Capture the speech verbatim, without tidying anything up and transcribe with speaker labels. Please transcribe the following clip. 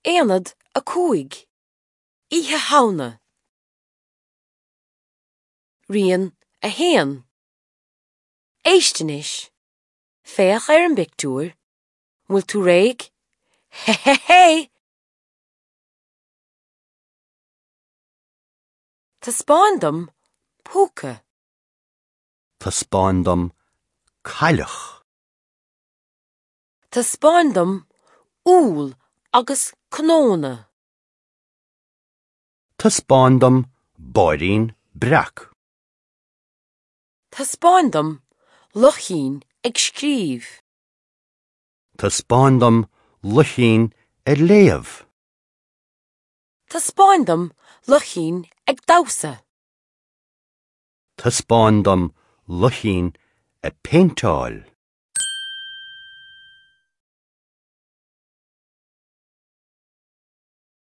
Speaker 1: Aonad a cúig. Oíche Shamhna. Rian a haon. Éist anois. Féach ar an bpictiúr. Bhfuil tú réidh? Hé hé hé! Taispeáin dom púca.
Speaker 2: Taispeáin dom cailleach.
Speaker 1: Taispeáin dom úll agus cnónna.
Speaker 2: Taispeáin dom báirín breac.
Speaker 1: Taispeáin dom luchín ag scríobh.
Speaker 2: Taispeáin dom luchín ag léamh.
Speaker 1: Taispeáin dom luchín ag damhsa.
Speaker 2: Taispeáin dom luchín ag péinteáil.